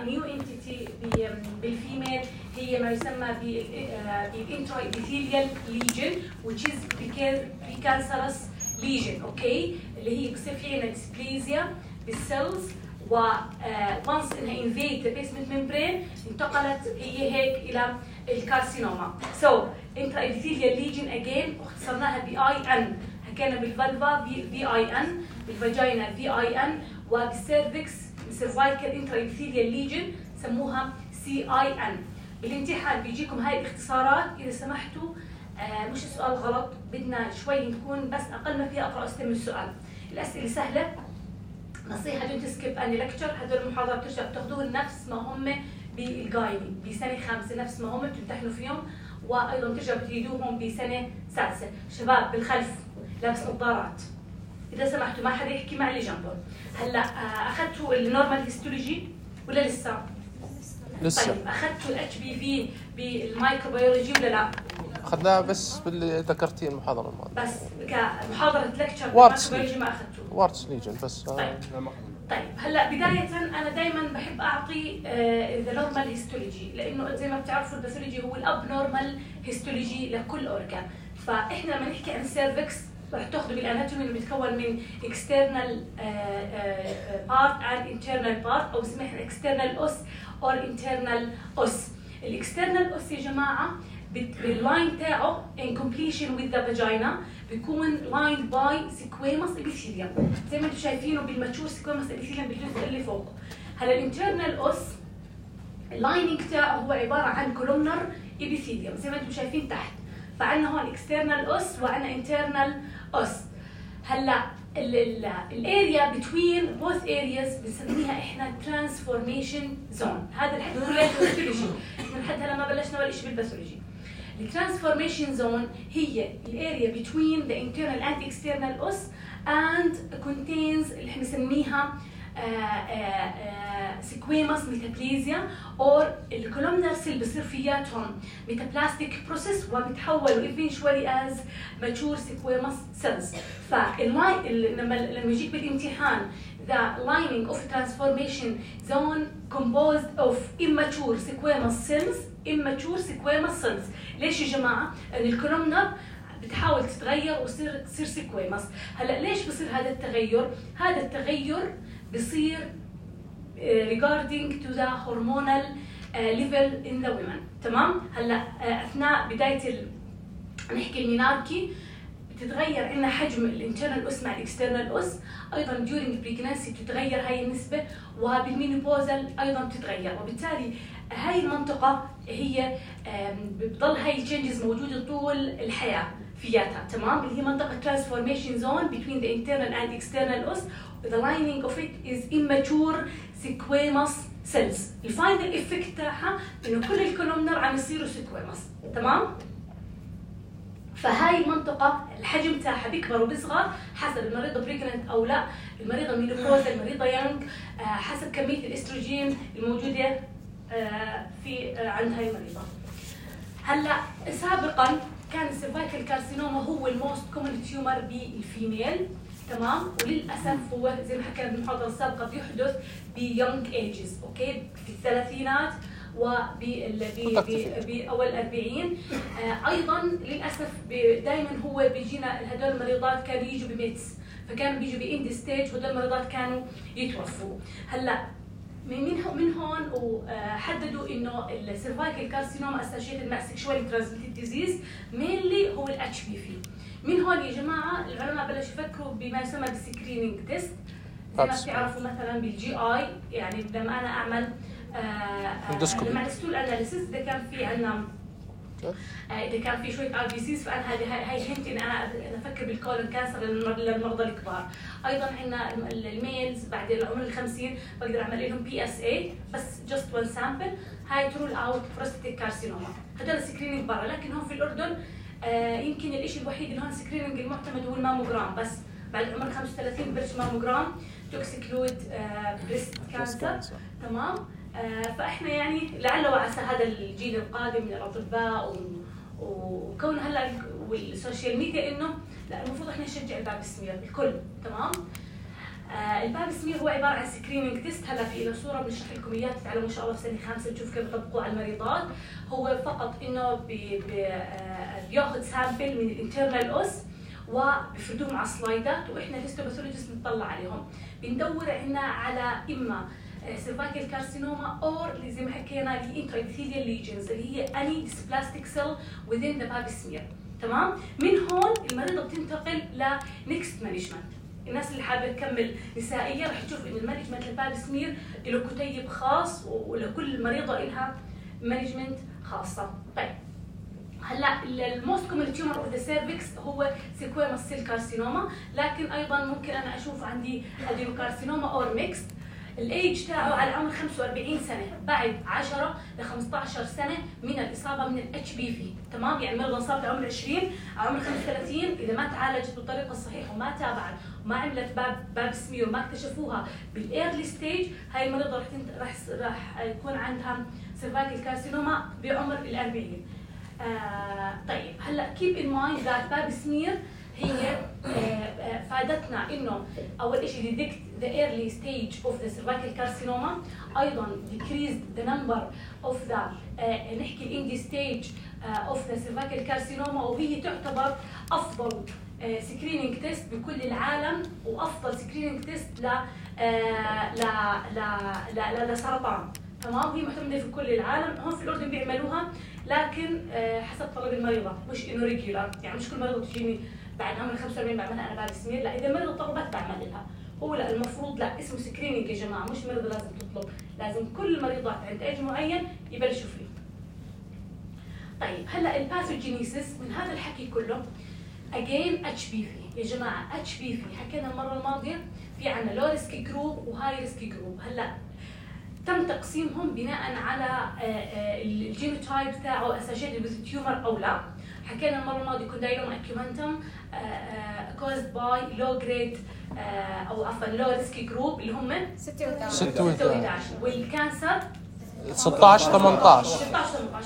نيو انتيتي بالفيميل هي ما يسمى بالانترا ابيثيليال ليجن which is precancerous lesion اوكي اللي هي بصير في عندنا ديسبليزيا بالسيلز و once انها invade the basement membrane انتقلت هي هيك الى الكارسينوما. So intraepithelial lesion again اختصرناها BIN، حكينا بالفالفا VIN، بالفاجينا VIN، وبالسيرفكس cervical intraepithelial lesion سموها CIN. بالامتحان بيجيكم هاي الاختصارات إذا سمحتوا مش السؤال غلط، بدنا شوي نكون بس أقل ما فيها أقرأ أستلم السؤال. الأسئلة سهلة، نصيحة دون تسكيب أني لكتشر، هدول المحاضرات بترجعوا بتاخذوهم نفس ما هم بالجايدي بسنة 5 نفس ما هم بتمتحنوا فيهم، وأيضا بترجعوا بتريدوهم بسنة 6. شباب بالخلف لابس نظارات إذا سمحتوا ما حدا يحكي مع اللي جنبه. هلا أخذتوا النورمال هيستولوجي ولا لسه؟ لسه. طيب أخذتوا الHPV بالمايكروبيولوجي ولا لا؟ أخذناها بس باللي ذكرتيه المحاضرة الماضية. بس كمحاضرة لكتشر وارتس بالمايكروبيولوجي ما أخذتوا؟ وارتس ليجن بس. طيب هلا بداية أنا دائما بحب أعطي ذا نورمال هيستولوجي، لأنه زي ما بتعرفوا الباثولوجي هو الأب نورمال هيستولوجي لكل أورجان. فإحنا لما نحكي عن السيرفكس رح تاخذوا بالاناتومي اللي بيتكون من external part and internal part، او اسمها external os or internal os. الاكسترنال os يا جماعه باللاين تاعه in completion with the vagina بيكون lined by squamous epithelium زي ما انتم شايفينه بالماتشور squamous epithelium بالجزء اللي فوق. هلا الانترنال os اللايننج تاعه هو عباره عن columnar epithelium زي ما انتم شايفين تحت. فعندنا هون external os وعندنا internal os. هلا الاريا between both areas بنسميها احنا transformation zone. هذا الحكي كله باثولوجي، احنا لحد هلا ما بلشنا ولا شيء بالباثولوجي. الترانسفورميشن زون هي الاريا between the internal and external os and contains اللي احنا بنسميها squamous metaplasia or الكولومنر سيل بصير فياتهم ميتابلاستيك بروسيس وبيتحولوا eventually as mature squamous cells. لما يجيك بالامتحان the lining of transformation zone composed of immature squamous cells. ليش يا جماعه؟ ان الكولومنر بتحاول تتغير تصير سيكويمس. هلا ليش بصير هذا التغير؟ هذا التغير بصير regarding to the hormonal level in the women. تمام؟ هلا اثناء بدايه نحكي الميناركي بتتغير عندنا حجم الانترنال اس مع الاكسترنال اس، ايضا during pregnancy بتتغير هاي النسبه، وبالمينوبوزال ايضا بتتغير، وبالتالي هاي المنطقه هي بتضل هاي التشينجز موجوده طول الحياه فياتها. تمام؟ اللي هي منطقه transformation zone between the internal and external os. The lining of it is immature squamous cells. الفاينل افكت تاعها انه كل الكولومنر عم يصيروا سيكويمس. تمام؟ فهاي المنطقة الحجم تاعها بيكبر وبيصغر حسب المريضة بريجننت أو لا، المريضة مينوبوزا، المريضة يانج، حسب كمية الاستروجين الموجودة في عند هاي المريضة. هلا سابقا كان السيرفايكال كارسينوما هو الموست كومن تيومر بالفيميل. تمام؟ وللأسف هو زي ما حكينا بالمحاضرة السابقة بيحدث بيونج ايجز، اوكي؟ في الثلاثينات وبأول 40. أيضا للأسف دائما هو بيجينا هدول المريضات كانوا يجوا بميتس، فكانوا بيجوا بإند ستيج وهدول المريضات كانوا يتوفوا. هلا من هون وحددوا إنه السيرفايكال كارسينوما اسوشيتد مع سيكشوالي ترانسميتد ديزيز مينلي هو الHPV. من هون يا جماعة العلماء بلشوا يفكروا بما يسمى بالسكرينينج تيست، زي ما بتعرفوا مثلا بالجي اي، يعني لما أنا أعمل مع الستول اناليسيس اذا كان في عندنا اذا كان في شويه RBCs فانا هاي هنت ان انا افكر بالكولون كانسر للمرضى الكبار. ايضا عندنا الميلز بعد العمر ال50 بقدر اعمل لهم PSA بس جست وان سامبل، هاي ترول اوت بروستاتيك كارسينوما. هذول سكرينينج برا، لكن هون في الاردن يمكن الشيء الوحيد اللي هون سكرينينج المعتمد هو الماموجرام، بس بعد عمر 35 ببلش ماموجرام تو اكسكلود بريست كانسر. تمام؟ فاحنا يعني لعل وعسى هذا الجيل القادم من الاطباء وكون هلا والسوشيال ميديا انه لا المفروض احنا نشجع الباب السمير الكل. تمام؟ الباب سمير هو عباره عن سكريننج تيست. هلا في له صوره بنشرح لكم اياها تتعلموا ان شاء الله في سنه 5 تشوف كيف بيطبقوه على المريضات. هو فقط انه بياخذ سامبل من الانترنال اوس وبفردوهم على سلايدات، واحنا الهيستوباثولوجيست بنطلع عليهم. بندور عنا على اما سيرفايكال كارسينوما اور اللي زي ما حكينا اللي انترا ابيثيليال ليجنز اللي هي اني ديسبلاستيك سيل within the bab smear. تمام؟ من هون المريضه بتنتقل لنكست مانجمنت. الناس اللي حابه تكمل نسائيه رح تشوف انه المانجمنت للباب سمير له كتيب خاص ولكل مريضه لها مانجمنت خاصه. طيب هلا الموست كومن تيومر اوف ذا سيرفكس هو سيكويموس سيل كارسينوما، لكن ايضا ممكن انا اشوف عندي ادينوكارسينوما اور ميكست. الايج تاعه على عمر 45 سنه بعد 10 ل 15 سنه من الاصابه من الاتش بي في. تمام؟ يعني مرضى انصاب بعمر 20 على عمر 35 اذا ما تعالجت بالطريقه الصحيحه وما تابعت وما عملت باب سمير وما اكتشفوها بالايرلي ستيج، هاي المريضه راح يكون عندها سيرفايكال كارسينوما بعمر ال40. طيب هلا keep in mind that باب سمير هي فادتنا انه اول شيء detect the early stage of the cervical carcinoma، ايضا decreased the number of the نحكي الاندي ستيج of the cervical carcinoma، وهي تعتبر افضل سكرينينج تيست بكل العالم وافضل سكرينينج تيست لسرطان. تمام؟ هي معتمده في كل العالم، هون في الاردن بيعملوها لكن حسب طلب المريضه، مش انه ريجولار، يعني مش كل مريضه بتجيني بعد عمر 45 بعملها انا باب سمير، لا اذا المريضه طلبت بعمل لها. هو لا المفروض لا اسمه سكرينينج يا جماعه، مش مريضه لازم تطلب، لازم كل المريضات عند ايج معين يبلشوا فيه. طيب هلا الباثوجينيسيس من هذا الحكي كله اجين اتش بي في يا جماعه. اتش بي في حكينا المره الماضيه في عندنا لو ريسكي جروب وهاي ريسكي جروب. هلا تم تقسيمهم بناء على الجينوتايب تاعه اسوشيتد وذ تيومر او لا. حكينا المره الماضيه كوندايلوما اكيومنتم كوزد باي لو جريد او عفوا لو ريسكي جروب اللي هم 16 والكانسر 16 18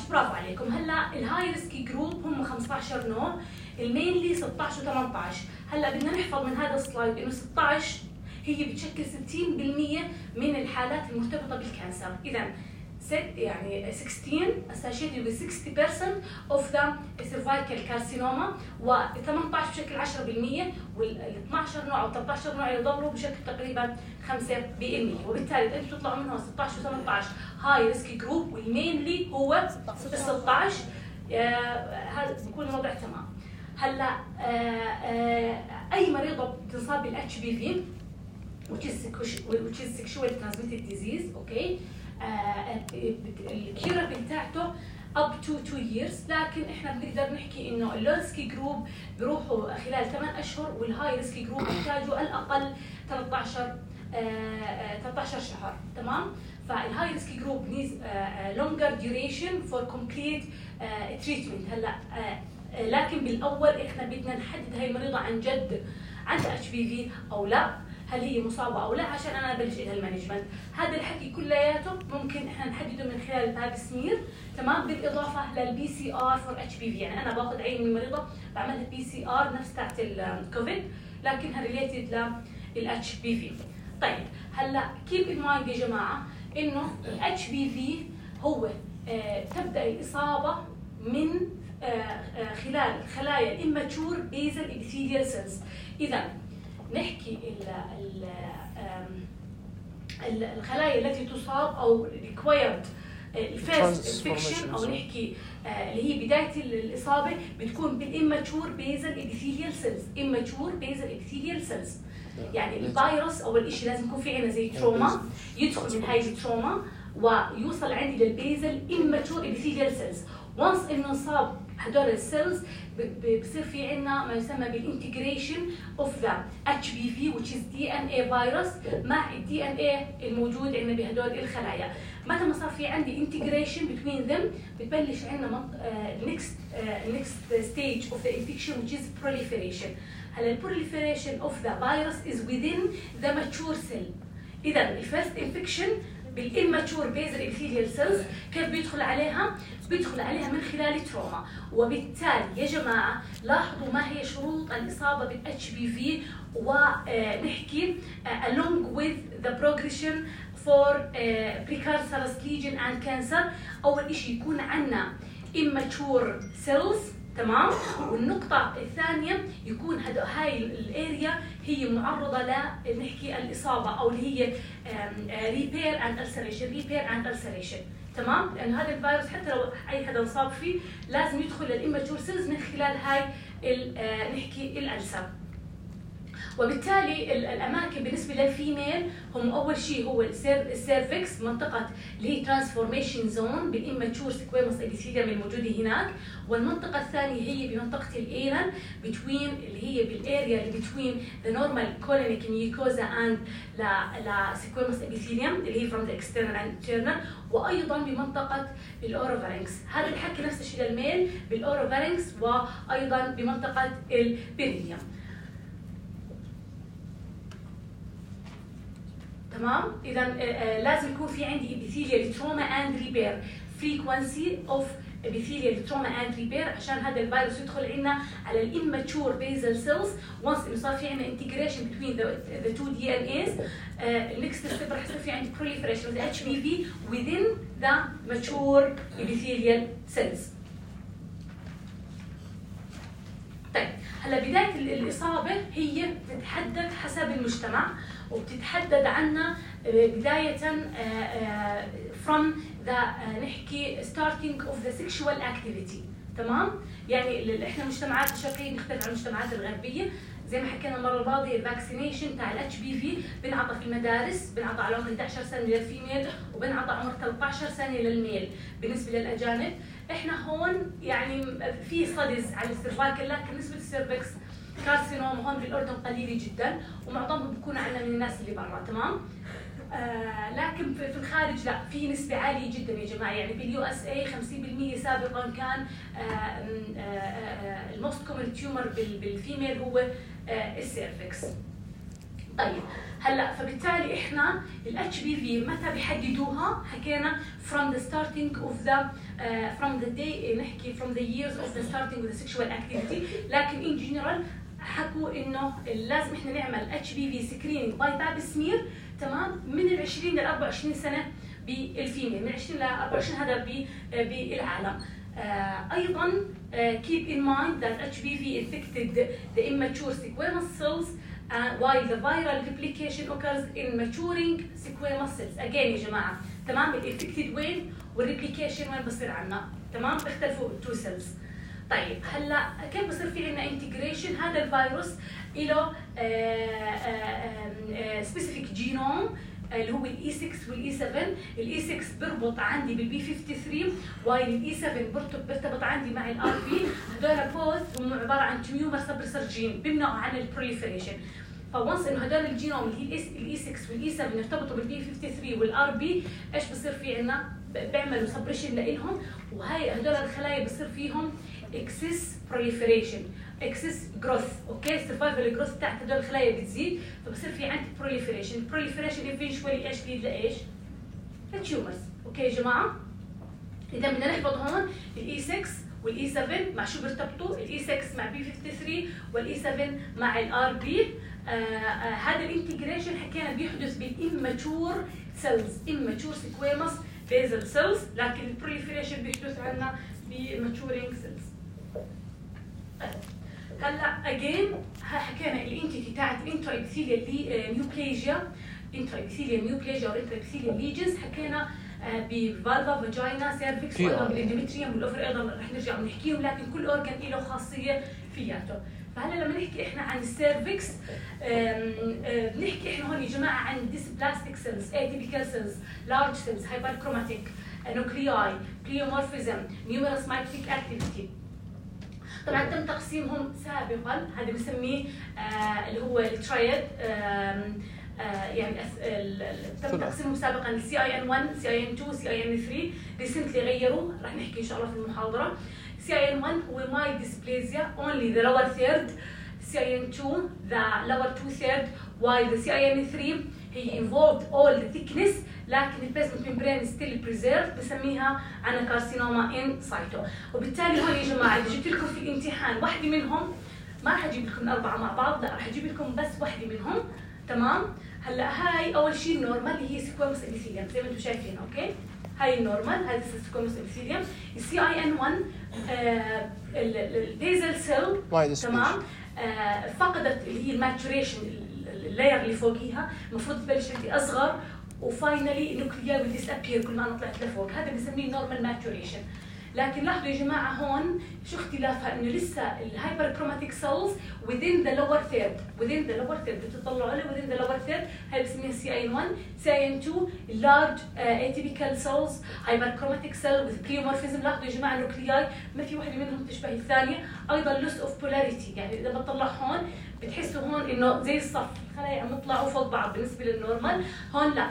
برافو عليكم. هلا الهاي ريسكي جروب هم 15 نوع، المينلي 16 و18. هلا بدنا نحفظ من هذا السلايد انه 16 هي بتشكل 60% من الحالات المرتبطه بالكانسر. اذا يعني 16 associated with 60% of the cervical carcinoma، و18 بشكل 10%، وال12 نوع او 13 نوع يضلوا بشكل تقريبا 5%. وبالتالي انتم تطلعوا منهم 16 و18 هاي ريسكي جروب، والمينلي هو 16. هذا بيكون الوضع تمام. هلا اي مريضه بتنصاب بالاتش بي في which is sexually transmitted disease، اوكي، الكيورابل بتاعته up to 2 years، لكن احنا بنقدر نحكي انه اللو ريسكي جروب بيروحوا خلال 8 اشهر، والهاي ريسكي جروب بيحتاجوا الاقل 13 شهر. تمام؟ فالهاي ريسكي جروب needs longer duration for complete treatment. هلا لكن بالاول احنا بدنا نحدد هاي المريضه عن جد عندها اتش بي في او لا، هل هي مصابه او لا، عشان انا ابلش لها المانجمنت. هذا الحكي كلياته ممكن احنا نحدده من خلال الباب سمير. تمام؟ بالاضافه للبي سي ار فور اتش بي في، يعني انا باخذ عين من المريضه بعملها بي سي ار نفس تاعت الكوفيد لكنها ريليتد للاتش بي في. طيب هلا كيب ان مايند يا جماعه انه الاتش بي في هو تبدا الاصابه من خلال خلايا immature basal epithelial cells. اذا نحكي الخلايا التي تصاب او required الفيرست انفكشن او نحكي اللي هي بدايه الاصابه بتكون بالاماتشور بيزل ابيثيليال سيلز. اماتشور بيزل ابيثيليال سيلز يعني الفيروس اول شيء لازم يكون في عندنا زي تروما، يدخل من هاي التروما ويوصل عندي للبيزل اماتشور ابيثيليال سيلز. وانس انه انصاب هدول السيلز بصير في عندنا ما يسمى بالانتجريشن اوف ذا اتش بي في which is DNA فيروس مع الدي ان اي الموجود عندنا بهدول الخلايا. متى ما صار في عندي انتجريشن between them بتبلش عندنا next stage of the infection which is proliferation. هلا البروليفريشن اوف ذا فيروس is within the mature cell. اذا الفيرست انفكشن بالإماتشور بيزل إبيثيليال سيلز كيف بيدخل عليها؟ بيدخل عليها من خلال تروما. وبالتالي يا جماعة لاحظوا ما هي شروط الإصابة بالHPV ونحكي along with the progression for precancerous lesion and cancer. أول إشي يكون عنا immature cells، تمام؟ والنقطة الثانية يكون هاي الاريا هي معرضة لنحكي الإصابة أو اللي هي repair and ulceration، تمام؟ لأن هذا الفيروس حتى لو أي حدا انصاب فيه لازم يدخل للإماتشور سيلز من خلال هاي نحكي الألسر. وبالتالي الاماكن بالنسبه للفيميل هم اول شيء هو السيرفكس، منطقه اللي هي ترانسفورميشن زون بالاماتشور سكويموس ابيثيليوم الموجوده هناك، والمنطقه الثانيه هي بمنطقه الانال بتوين اللي هي بالاريا اللي بتوين ذا نورمال كولونيك ميوكوزا اند لا سكويموس ابيثيليوم اللي هي فروم ذا اكسترنال اند انترنال، وايضا بمنطقه الاوروفارينكس. هذا الحكي نفس الشيء للميل بالاوروفارينكس وايضا بمنطقه البيرينيوم، تمام؟ إذا لازم يكون في عندي epithelial trauma and repair frequency of epithelial trauma and repair عشان هذا الفيروس يدخل عنا على الاماتشور basal cells. once إنه صار في عنا integration between the two DNAs next step راح يصير في عندي proliferation of the HPV within the mature epithelial cells. طيب هلا بداية الإصابة هي بتتحدد حسب المجتمع وبتتحدد عنا بداية from the نحكي starting of the sexual activity، تمام؟ يعني احنا المجتمعات الشرقية مختلفة عن المجتمعات الغربية. زي ما حكينا المرة الماضية الفاكسينيشن تاع الHPV بنعطى في المدارس، بنعطى على عمر 11 سنة للفيميل وبنعطى عمر 13 سنة للميل. بالنسبة للأجانب احنا هون يعني في ستاديز على السيرفايكل، لكن نسبة السيرفكس كارسينوم هون بالاردن قليله جدا ومعظمهم بيكونوا عندنا من الناس اللي برا، تمام؟ لكن في الخارج لا، في نسبه عاليه جدا يا جماعه. يعني باليو اس اي 50% سابقا كان الموست كومن تيومر بالفيميل هو السيرفكس. طيب هلا فبالتالي احنا الاتش بي في متى بيحددوها؟ حكينا from the starting of the from the day نحكي from the years of the starting with the sexual activity، لكن in general حكوا انه لازم احنا نعمل اتش بي في سكرينينج باي باب سمير، تمام؟ من ال 20 ل 24 سنه بالفيميل، من 20 ل 24 هذا بالعالم. ايضا keep in mind that HPV infected the immature squamous cells while the viral replication occurs in maturing squamous cells. again يا جماعه، تمام؟ الانفكتد وين والريبليكيشن وين بصير عنا، تمام؟ بيختلفوا التو سيلز. طيب هلا كيف بصير في عندنا انتجريشن؟ هذا الفيروس له سبيسيفيك جينوم اللي هو الاي 6 والاي 7. الاي 6 بيربط عندي بالبي 53 وايل الاي 7 بيرتبط عندي مع الار بي. هذول بوث هم عباره عن تيومر سبريسر جين بيمنعوا عن البروليفريشن. فونس انه هذول الجينوم اللي هي الاي 6 والاي 7 يرتبطوا بالبي 53 والار بي، ايش بصير في عندنا؟ بيعملوا سبريشن لإلهم، وهي هذول الخلايا بصير فيهم اكسس بروليفريشن، اكسس جروث، اوكي؟ السرفايفل جروث تاعت هذول الخلايا بتزيد، فبصير في عندي بروليفريشن. البروليفريشن ايفينشولي ايش بيد لايش؟ للتيومرز، اوكي يا جماعه؟ اذا بدنا نحفظ هون الاي 6 والاي 7 مع شو بيرتبطوا؟ الاي 6 مع بي 53 والاي 7 مع الار بي. هذا الانتجريشن حكينا بيحدث بالاماتشور سيلز، اماتشور سكويموس بيزل سيلز، لكن البروليفريشن بيحدث عندنا بماتشورينج سيلز. هلا اجين حكينا الانتيتي تاعت الانترا ابيثيليال نيوبليجيا، انترا ابيثيليال نيوبليجيا او انترا ابيثيليال ليجنز. حكينا بفالفا فاجينا سيرفكس وايضا بالاندوميتريوم والاوفر ايضا رح نرجع ونحكيهم، لكن كل اورجان له خاصيه فياته. فهلا لما نحكي احنا عن السيرفكس بنحكي احنا هون يا جماعه عن ديسبلاستيك سيلز، اتيبيكال سيلز، لارج سيلز، هايبركروماتيك، نوكلياي، بليومورفيزم، نيوميرس مايكروتيك اكتيفيتي. طبعا تم تقسيمهم سابقا، هذا بنسميه اللي هو الترايد، يعني تم تقسيمهم سابقا السي اي ان 1، سي اي ان 2، سي اي ان 3. ريسنتلي غيروا، رح نحكي ان شاء الله في المحاضره. سي اي ان 1 هو ماي ديسبليزيا اونلي ذا لور ثيرد، CIN2 the lower 2/3 while the CIN3 هي involved all the thickness لكن البيزمنت ممبرين still preserved بسميها أنا كارسينوما in situ. وبالتالي هون يا جماعة إذا جبت لكم في الامتحان واحدة منهم ما راح أجيب لكم الأربعة مع بعض، لا راح أجيب لكم بس واحدة منهم. تمام؟ هلا هاي أول شيء النورمال اللي هي سكويموس إبيثيليوم زي ما أنتم شايفين. أوكي؟ هاي النورمال هذا سكويموس إبيثيليوم. CIN1 البيزل سيل تمام فقدت اللي هي الماتوريشن اللاير اللي فوقيها المفروض تبلش عندي أصغر وفاينلي نوكليا will disappear كل ما أنا طلعت لفوق. هذا بنسميه نورمال ماتوريشن. لكن لاحظوا يا جماعة هون شو اختلافها إنه لسه الهايبر كروماتيك سيلز within the lower third بتطلعوا عليه within the lower third. هاي بسميها CIN1. CIN2 large atypical cells hyper chromatic cell with pleomorphism. لاحظوا يا جماعة النوكلياي ما في واحدة منهم تشبه الثانية. أيضا loss of polarity يعني إذا بطلع هون بتحسوا هون إنه زي الصف الخلايا عم يطلعوا فوق بعض بالنسبة للنورمال. هون لا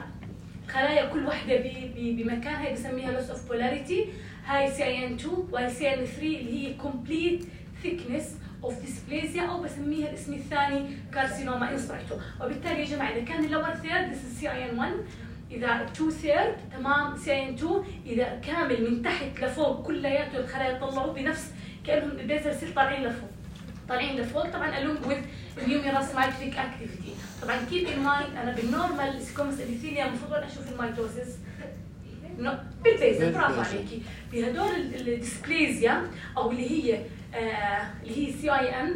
خلايا كل واحدة بمكانها بسميها loss of polarity. هاي CIN2 وهي CIN3 اللي هي complete thickness of dysplasia أو بسميها الاسم الثاني carcinoma in situ. وبالتالي يا جماعة إذا كان lower third this is CIN1 إذا 2/3 تمام CIN2 إذا كامل من تحت لفوق كلياته الخلايا يطلعوا بنفس كأنهم البيزل سيل طالعين لفوق طبعا along with numerous mitotic activity. طبعا keep in mind أنا بالنورمال سكوموس إبيثيليوم المفروض أشوف الميتوسيس بالبيزل. برافو عليكي. بهدول الديسبليزيا او اللي هي CIN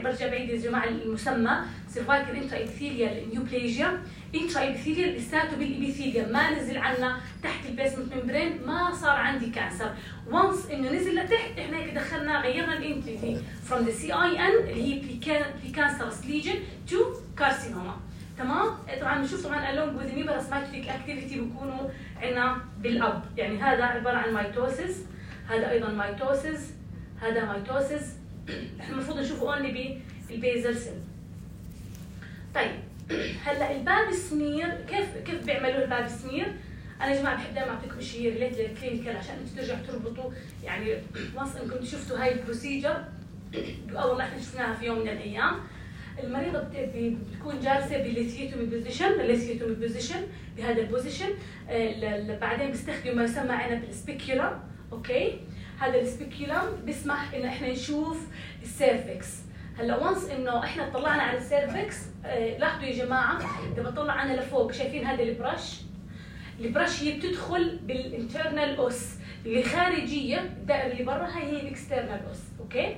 برجع بعيد يا جماعه المسمى سيرفايكال انترا ابيثيليال نيوبليجيا. انترا ابيثيليال لساته بالابيثيليوم ما نزل عنا تحت البيزمنت ممبرين ما صار عندي كانسر. وانس انه نزل لتحت احنا هيك دخلنا غيرنا الانتيتي from the CIN اللي هي precancerous lesion to carcinoma. تمام؟ طبعا بنشوف طبعا along with numerous mitotic activity بيكونوا عندنا بالاب يعني هذا عباره عن ميتوسيس هذا ايضا ميتوسيس هذا ميتوسيس. احنا المفروض نشوفه اونلي بالبيزل سيل. طيب هلا الباب سمير كيف بيعملوا الباب سمير؟ انا يا جماعه بحب دائما اعطيكم شيء ريليت للكلينيكال عشان انتم ترجعوا تربطوا يعني وانس انكم شفتوا هاي البروسيجر اول ما احنا شفناها في يوم من الايام. المريضه بتكون جالسه بالليثيوتومي بوزيشن بهذا البوزيشن. بعدين بيستخدموا ما يسمى عنا بالسبيكيولم. اوكي هذا السبيكيولم بيسمح ان احنا نشوف السيرفكس. هلا وانس انه احنا طلعنا على السيرفكس لاحظوا يا جماعه اذا بطلع انا لفوق شايفين هذا البرش هي بتدخل بالانترنال اوس اللي خارجيه الدائره اللي برا هي الاكسترنال اوس. اوكي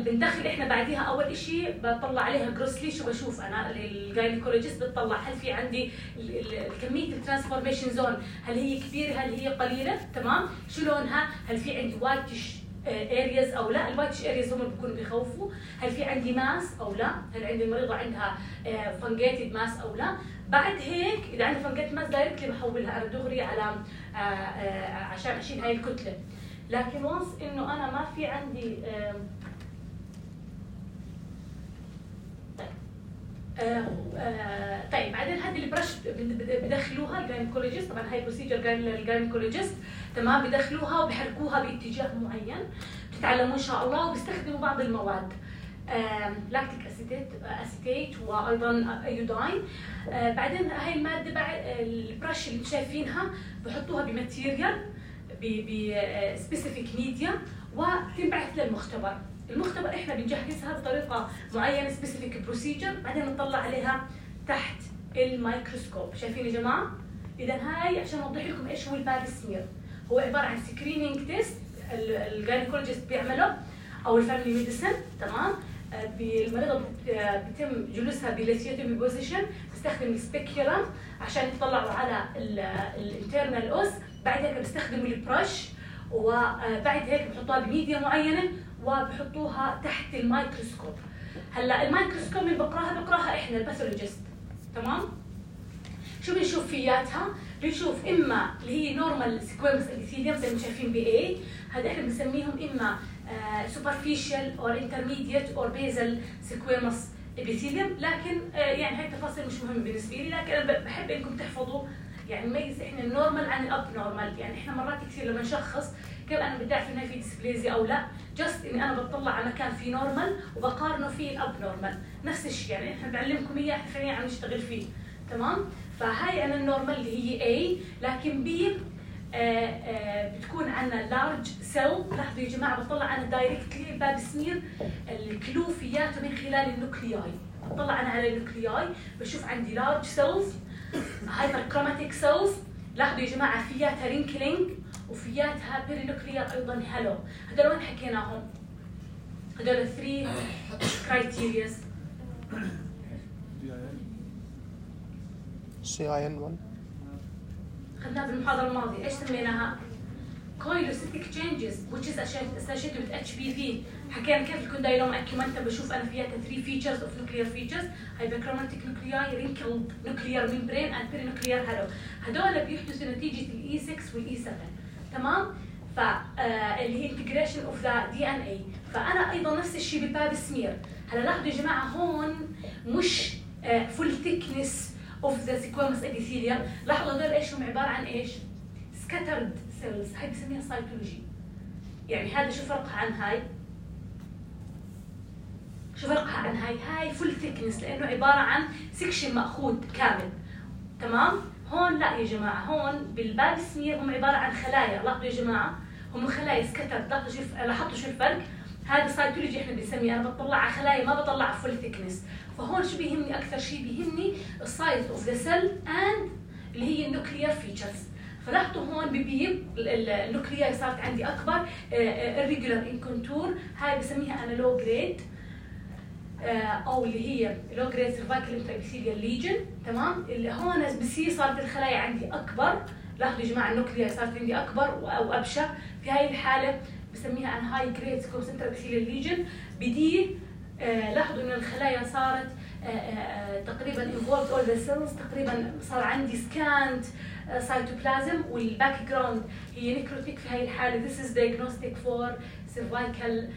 بندخل احنا بعديها اول شيء بطلع عليها جروسلي. شو بشوف انا الجاينيكولوجيست بتطلع هل في عندي كميه الترانسفورميشن زون هل هي كبيره هل هي قليله. تمام شو لونها هل في عندي وايتش ارياز او لا. الوايتش ارياز هم بيكونوا بيخوفوا. هل في عندي ماس او لا. هل عندي المريضه عندها فانجيتد ماس او لا. بعد هيك اذا عندي فانجيتد ماس دايركتلي بحولها انا دغري على عشان اشيل هاي الكتله. لكن وانس انه انا ما في عندي طيب بعدين هذه البرش بدخلوها الجاينيكولوجيست. طبعا هاي بروسيجر الجاينيكولوجيست تمام بيدخلوها وبيحركوها باتجاه معين بتتعلموا ان شاء الله. وبيستخدموا بعض المواد لاكتيك اسيتيت وايضا ايوداين. بعدين هاي الماده بعد البرش اللي شايفينها بحطوها بماتيريال بسبيسيفيك ميديا وتنبعث للمختبر. المختبر احنا بنجهزها بطريقه معينه سبيسيفيك بروسيجر بعدين نطلع عليها تحت الميكروسكوب. شايفين يا جماعه؟ اذا هاي عشان اوضح لكم ايش هو الباب سمير هو عباره عن سكرينينج تيست الجاينيكولوجيست بيعمله او الفاميلي ميديسن. تمام المريضه بيتم جلوسها بليثيوتومي بوزيشن بيستخدم السبيكيولم عشان يطلعوا على الانترنال اوس. بعد هيك بيستخدموا البرش وبعد هيك بحطوها بميديا معينه وبحطوها تحت الميكروسكوب. هلا الميكروسكوب اللي بقراها احنا الباثولوجيست. تمام شو بنشوف فياتها؟ بنشوف اما اللي هي نورمال سكويموس ابيثيليوم زي ما شايفين باي هذا احنا بنسميهم اما superficial or intermediate or basal squamous epithelium. لكن يعني هاي التفاصيل مش مهمه بالنسبه لي. لكن انا بحب انكم تحفظوا يعني نميز احنا النورمال عن الاب نورمال. يعني احنا مرات كثير لما نشخص كيف انا بدي اعرف انه في ديسبليزيا او لا؟ جست اني انا بطلع على مكان فيه نورمال وبقارنه فيه الاب نورمال، نفس الشيء يعني احنا بعلمكم اياه احنا فعليا عم نشتغل فيه، تمام؟ فهاي انا النورمال اللي هي A، لكن B بتكون عندنا لارج سيل. لاحظوا يا جماعه بطلع انا دايركتلي الباب سمير الكلوفيات من خلال النوكلياي، بطلع انا على النوكلياي بشوف عندي لارج سيلز، هايبر كروماتيك سيلز. لاحظوا يا جماعه فياتها رينكلينج وفياتها بيرينوكليار ايضا هالو. هدول وين حكيناهم؟ هدول 3 كرايتيرياز. CIN1 خدناها بالمحاضره الماضيه، ايش سميناها؟ كويلوسيتيك تشينجز which is associated with HPV. حكينا كيف الكوندايلوم اكيومنتا بشوف انا فيها 3 features of nuclear features: hyperchromatic nuclei, wrinkled nuclear membrane and perinuclear halo. هدول بيحدثوا نتيجه الاي 6 والاي 7، تمام؟ اللي هي integration of the DNA. فانا ايضا نفس الشيء بالباب سمير. هلا لاحظوا يا جماعه هون مش full thickness of the squamous epithelium. لاحظوا هدول ايش هم عباره عن ايش؟ scattered cells. هاي بسميها سايتولوجي. يعني هذا شو فرقها عن هاي؟ شو فرقها عن هاي؟ هاي فول ثيكنس لانه عباره عن سكشن ماخوذ كامل، تمام؟ هون لا يا جماعه، هون بالباب سمير هم عباره عن خلايا. لاحظوا يا جماعه هم خلايا سكتر. لاحظتوا شو الفرق؟ هذا سايتولوجي احنا بنسميه، انا بطلع على خلايا ما بطلع على فول ثيكنس. فهون شو بيهمني اكثر شيء؟ بيهمني السايز اوف ذا سيل اند اللي هي النوكليير فيتشرز. فلاحظوا هون ببيض النوكلياي صارت عندي اكبر، irregular in contour. هاي بسميها انا لو جريد او اللي هي لو جريد سيرفايكال انترابيثيليال ليجن، تمام؟ اللي هون بصير صارت الخلايا عندي اكبر. لاحظوا يا جماعه النوكلياي صارت عندي اكبر او ابشع. في هاي الحاله بسميها انا هاي جريد سكومس انترابيثيليال ليجن. بدي لاحظوا ان الخلايا صارت تقريبا involved all the cells، تقريبا صار عندي سكانت سايتوبلازم، والباك جراوند هي نيكروتيك. في هاي الحاله this is diagnostic for cervical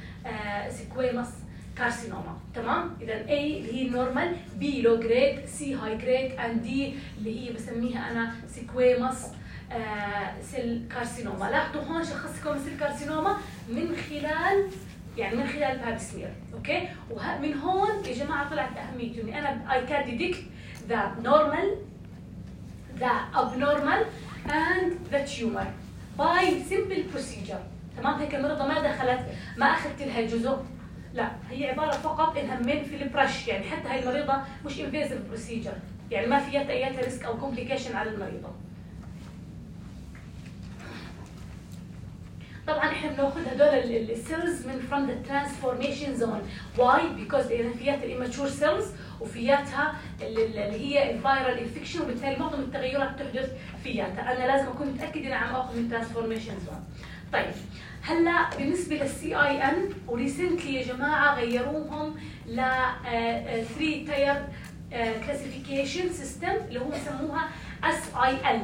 squamous carcinoma، تمام؟ اذا A اللي هي النورمال، B لو جريد، C هاي جريد، and D اللي هي بسميها انا squamous سيل كارسينوما. لاحظوا هون شخصكم سيل كارسينوما من خلال الباب سمير، اوكي؟ ومن هون يا جماعه طلعت اهميته اني انا I can detect the normal, the abnormal and the tumor by simple procedure. تمام؟ هيك المرضى ما دخلت، ما اخذت لها جزء، لا هي عباره فقط انها من في البرش. يعني حتى هاي المريضه مش invasive procedure، يعني ما فيها اي ريسك او كومبليكيشن على المريضه. طبعا احنا بناخذ هدول السيلز من from the transformation zone. why؟ because لان فياتها الاماتشور سيلز وفياتها اللي هي الفيرال انفكشن، وبالتالي معظم التغيرات تحدث فياتها. انا لازم اكون متاكد اني عم اخذ من ترانسفورميشن زون. طيب هلا بالنسبه للسي اي ان، وريسنتلي يا جماعه غيروهم ل 3 تاير كلاسيفيكيشن سيستم اللي هم سموها اس اي ال،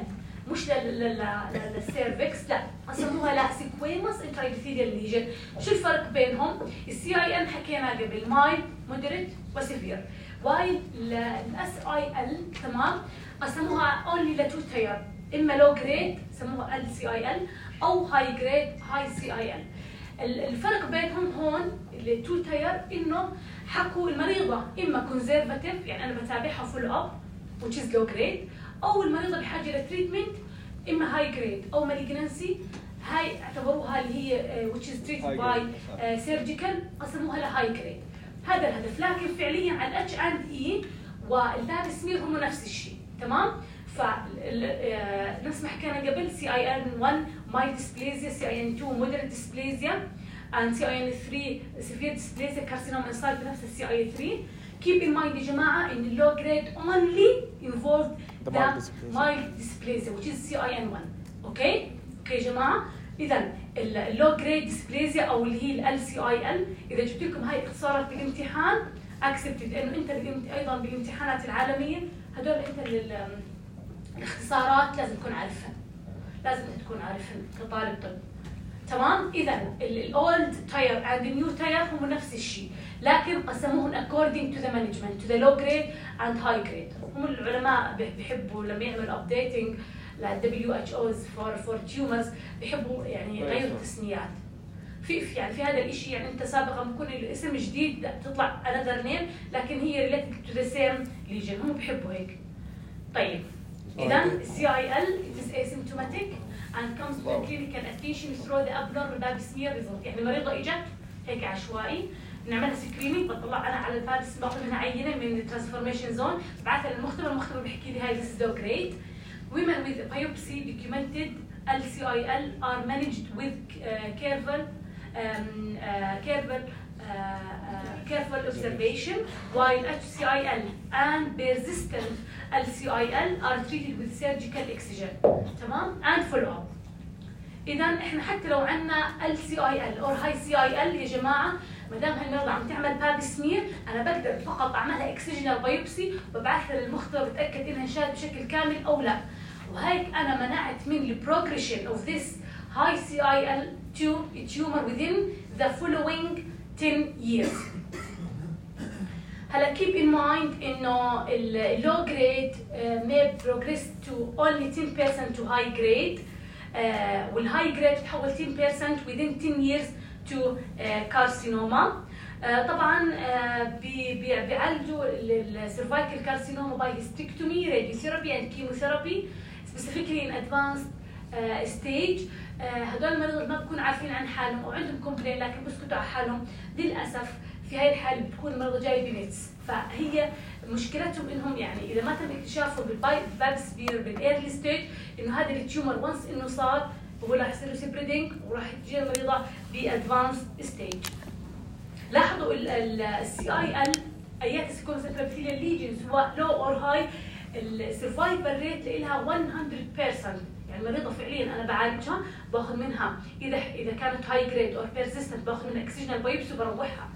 مش للسيرفكس، لا سموها لا سيكويموس انترايبيثيليال ليجن. شو الفرق بينهم؟ السي اي ان حكينا قبل مايل، مودريت وسيفير. وايل الاس اي ال، تمام، قسموها اونلي لتو تاير، اما لو جريد سموها ال سي اي ال او هاي جريد هاي سي اي ال. الفرق بينهم هون التو تاير انه حكوا المريضه اما كونزرفاتيف، يعني انا بتابعها فول اب which is low grade، او المريضه بحاجه لتريتمنت اما هاي جريد او مالجنسي، هاي اعتبروها اللي هي which is treated by surgical، قسموها لهاي جريد. هذا الهدف. لكن فعليا على الاتش اند اي والباب سمير هم نفس الشيء، تمام؟ نفس ما حكينا قبل سي اي ان 1 ماي ديسبليزيا، سي اي ان 2 مودريت ديسبليزيا، and سي اي ان 3 سيفير ديسبليزيا كارسينوما انسايد بنفس السي اي 3. keep in mind يا جماعه ان اللو جريد only involved the mild dysplasia which is CIN1. اوكي يا جماعه؟ اذا اللو جريد ديسبليزيا او اللي هي ال CIL، اذا جبت لكم هاي اختصارات بالامتحان اكسبتد، انه انت ايضا بالامتحانات العالميه هدول انت الاختصارات لازم تكون عارفها، لازم تكون عارفها كطالب طب، تمام؟ اذا الاولد تاير اند النيو تاير هم نفس الشيء، لكن قسموهم according to the management to the low grade and high grade. هم العلماء بيحبوا لما يعملوا updating WHO for tumors بيحبوا يعني يغيروا التسميات. في هذا الشيء يعني انت سابقا بكون الاسم جديد تطلع another name لكن هي related to the same lesion، هم بيحبوا هيك. طيب اذا CIL it is asymptomatic and comes to clinical attention through the abnormal pap smear result. يعني المريضه اجت هيك عشوائي، بنعملها سكرينينج، بطلع انا على الباب باخذ منها عينه من الترانسفورميشن زون، ببعثها للمختبر، المختبر بيحكي لي هاي this is low grade. Women with biopsy documented LCIL are managed with careful observation, while HCIL and persistent LCIL are treated with surgical excision. تمام؟ and follow up. إذا إحنا حتى لو عندنا LCIL أو high CIL يا جماعة، ما دام هالمرضى عم تعمل باب سمير، أنا بقدر فقط أعملها اكسجينال بايوبسي وببعثها للمختبر بتأكد إنها انشالت بشكل كامل أو لا. وهيك أنا منعت من البروجريشن of this high CIL tumor within the following 10 years. هلا keep in mind إنه low grade may progress to only 10% to high grade. والهاي جريد تحول 10% within 10 years to carcinoma. طبعا بيعالجوا السيرفايكال كارسينوما باي هيستكتومي، راديوثيرابي اند كيموثيرابي specifically in advanced stage. هدول المرضى ما بكونوا عارفين عن حالهم او عندهم كومبلين لكن بيسكتوا على حالهم. للاسف في هاي الحاله بتكون المرضى جاي بنتس، فهي مشكلتهم انهم يعني اذا ما تم اكتشافه بالباب سبير بالايرلي ستيج انه هذا التيومر وانس انه صار هو راح يصير له سبريدنج وراح تجي المريضه بادفانس ستيج. لاحظوا السي اي ال ايات السكومسنترابيثيليال ليجن سواء لو اور هاي، السرفايفل ريت لها 100%. يعني المريضه فعليا انا بعالجها باخذ منها اذا كانت هاي جريد اور بيرسيستنت باخذ منها اكسجينال بايوبسي وبروحها.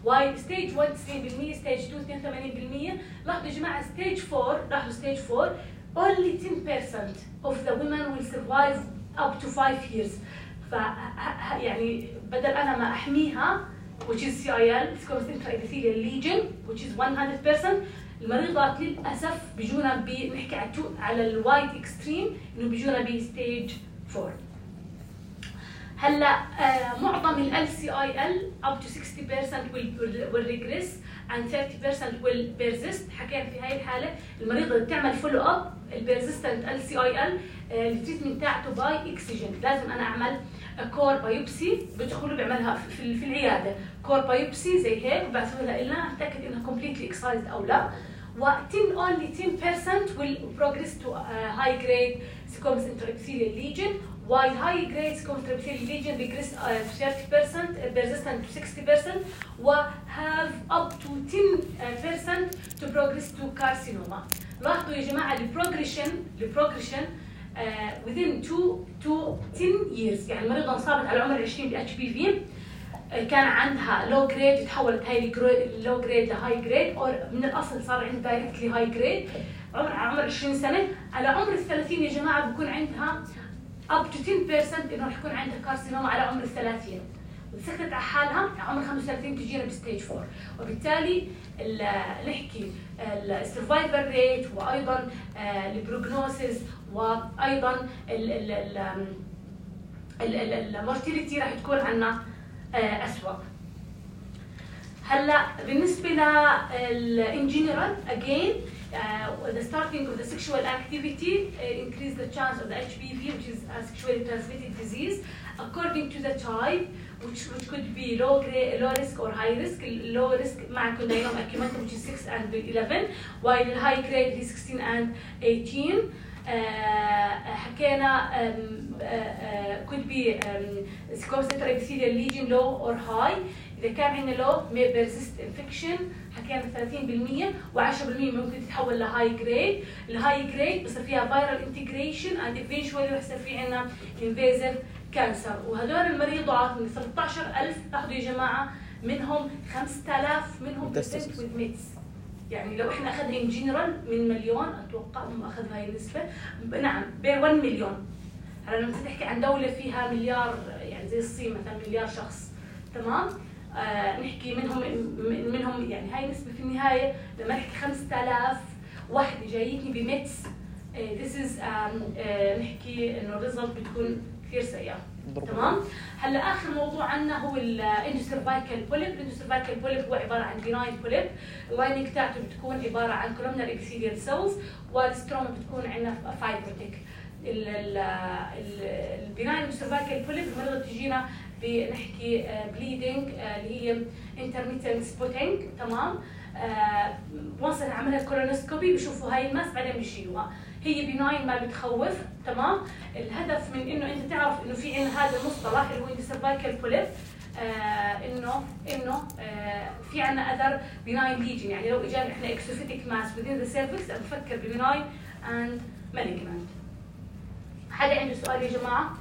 واي ستيج 1 90%، ستيج 2 82%. لاحظوا يا جماعه ستيج 4، لاحظوا ستيج 4 only 10% of the women will survive up to 5 years. ف يعني بدل انا ما احميها which is CIL squamous epithelial lesion which is 100%، المريضات للاسف بيجونا بنحكي على الوايت اكستريم انه بيجونا بستيج 4. هلا معظم ال LCIL up to 60% will regress and 30% will persist. حكينا في هاي الحاله المريضه اللي بتعمل فولو اب البيرزيستنت LCIL التريتمنت تاعته باي اكسجين، لازم انا اعمل كور بايوبسي، بدخلوا بيعملها في العياده كور بايوبسي زي هيك وبعثوا لها لنا اتاكد انها كومبليتلي اكسايزد او لا. و only 10% will progress to high grade squamous intraepithelial lesion, while high grade squamous intraepithelial lesion regress 30%, persistent to 60%, و have up to 10% to progress to carcinoma. لاحظوا يا جماعه البروجريشن within 2 to 10 years. يعني المريضه انصابت على عمر 20 ب HPV، كان عندها لو جريد تحولت هاي لو جريد لهاي جريد، او من الاصل صار عندها دايركتلي هاي جريد عمر 20 سنه. على عمر ال 30 يا جماعه بكون عندها up to 10% انه رح يكون عندها كارسينوما على عمر 30. وسكتت على حالها على عمر 35 تجينا بستيج 4. وبالتالي نحكي السرفايفل ريت وايضا البروجنوسيس وايضا المورتيليتي راح تكون عندنا أسوأ. هلا بالنسبه لل in general again the starting of the sexual activity increase the chance of the HPV which is a sexually transmitted disease according to the type which could be low risk or high risk. low risk مع condyloma acumentum which is 6 and 11 while the high grade is 16 and 18. حكينا could be squamous intraepithelial lesion low or high. إذا كان عندنا low may persist infection حكينا 30% و10% ممكن تتحول لهاي جريد. الهاي جريد بصير فيها viral integration and eventually رح يصير في عندنا invasive cancer. وهدول المريضات من 13,000 لاحظوا يا جماعة منهم 5,000 منهم present with mets. يعني لو احنا اخذنا ان جنرال من مليون اتوقع هم اخذوا هاي النسبه، نعم بين 1 مليون. هلا لما تحكي عن دوله فيها مليار يعني زي الصين مثلا مليار شخص، تمام؟ نحكي منهم يعني هاي نسبه في النهايه. لما نحكي 5,000 وحده جايتني بميتس this is نحكي انه الريزلت بتكون كثير سيئه. تمام. هلا اخر موضوع عندنا هو الاندوسيرفايكال بوليب. الاندوسيرفايكال بوليب هو عباره عن بيناين بوليب، اللايننج تاعته بتكون عباره عن كولومنار ابيثيليال سيلز، والستروما بتكون عندنا فايبروتيك. البيناين اندوسيرفايكال بوليب المرضى بتجينا بنحكي بليدنج اللي هي انترميتنت سبوتينج. تمام. وصل عملها كولونوسكوبي بشوفوا هاي الماس بعدين بيشيلوها. هي بناين ما بتخوف. تمام. الهدف من انه انت تعرف انه في عندنا هذا المصطلح اللي هو اندوسيرفايكال بوليب، انه في عندنا اذر بناين ليجن، يعني لو اجانا احنا اكسوفيتيك ماس within the cervix بنفكر ببناين اند مالجنانت. حدا عنده سؤال يا جماعه؟